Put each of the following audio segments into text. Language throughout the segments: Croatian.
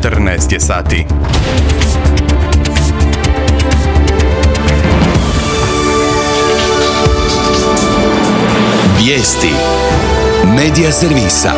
14 je sati. Vijesti Medija servisa.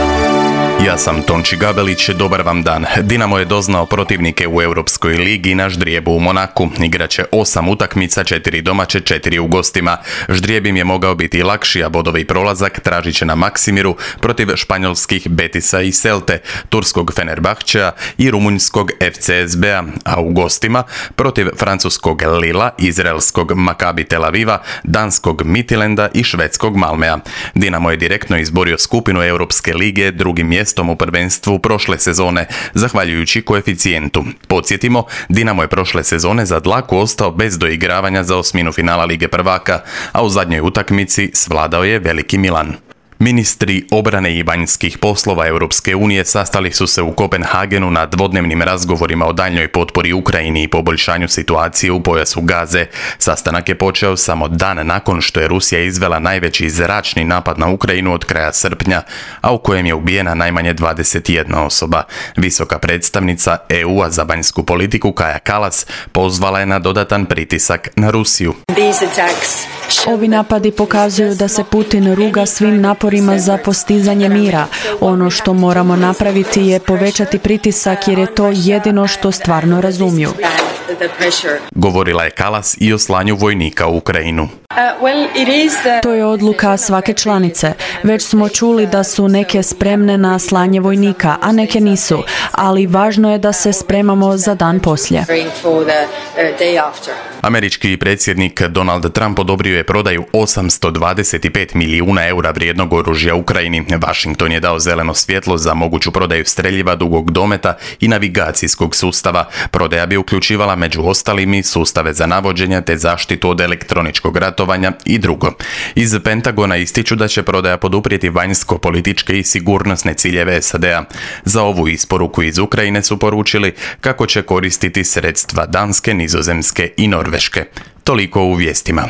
Ja sam Tonči Gabelić, dobar vam dan. Dinamo je doznao protivnike u Europskoj ligi na ždrijebu u Monaku. Igraće 8 utakmica, 4 domaće, 4 u gostima. Ždrijeb im je mogao biti lakši, a bodovi prolazak tražit će na Maksimiru protiv španjolskih Betisa i Celte, turskog Fenerbahčea i rumunjskog FCSB-a, a u gostima protiv francuskog Lila, izraelskog Maccabi Tel Aviva, danskog Midtjylanda i švedskog Malmea. Dinamo je direktno izborio skupinu Europske lige drugim mjestom u prvenstvu prošle sezone, zahvaljujući koeficijentu. Podsjetimo, Dinamo je prošle sezone za dlaku ostao bez doigravanja za osminu finala Lige prvaka, a u zadnjoj utakmici svladao je veliki Milan. Ministri obrane i vanjskih poslova Europske unije sastali su se u Kopenhagenu na dvodnevnim razgovorima o daljnjoj potpori Ukrajini i poboljšanju situacije u pojasu Gaze. Sastanak je počeo samo dan nakon što je Rusija izvela najveći zračni napad na Ukrajinu od kraja srpnja, a u kojem je ubijena najmanje 21 osoba. Visoka predstavnica EU-a za vanjsku politiku Kaja Kallas pozvala je na dodatan pritisak na Rusiju. Ovi napadi pokazuju da se Putin ruga svim naporima za postizanje mira. Ono što moramo napraviti je povećati pritisak jer je to jedino što stvarno razumiju. Govorila je Kallas i o slanju vojnika u Ukrajinu. To je odluka svake članice. Već smo čuli da su neke spremne na slanje vojnika, a neke nisu, ali važno je da se spremamo za dan poslije. Američki predsjednik Donald Trump odobrio je prodaju 825 milijuna eura vrijednog oružja Ukrajini. Washington je dao zeleno svjetlo za moguću prodaju streljiva dugog dometa i navigacijskog sustava. Prodaja bi uključivala među ostalim i sustave za navođenje te zaštitu od elektroničkog ratovanja i drugo. Iz Pentagona ističu da će prodaja poduprijeti vanjsko-političke i sigurnosne ciljeve SAD-a. Za ovu isporuku iz Ukrajine su poručili kako će koristiti sredstva Danske, Nizozemske i Norveške. Toliko u vijestima.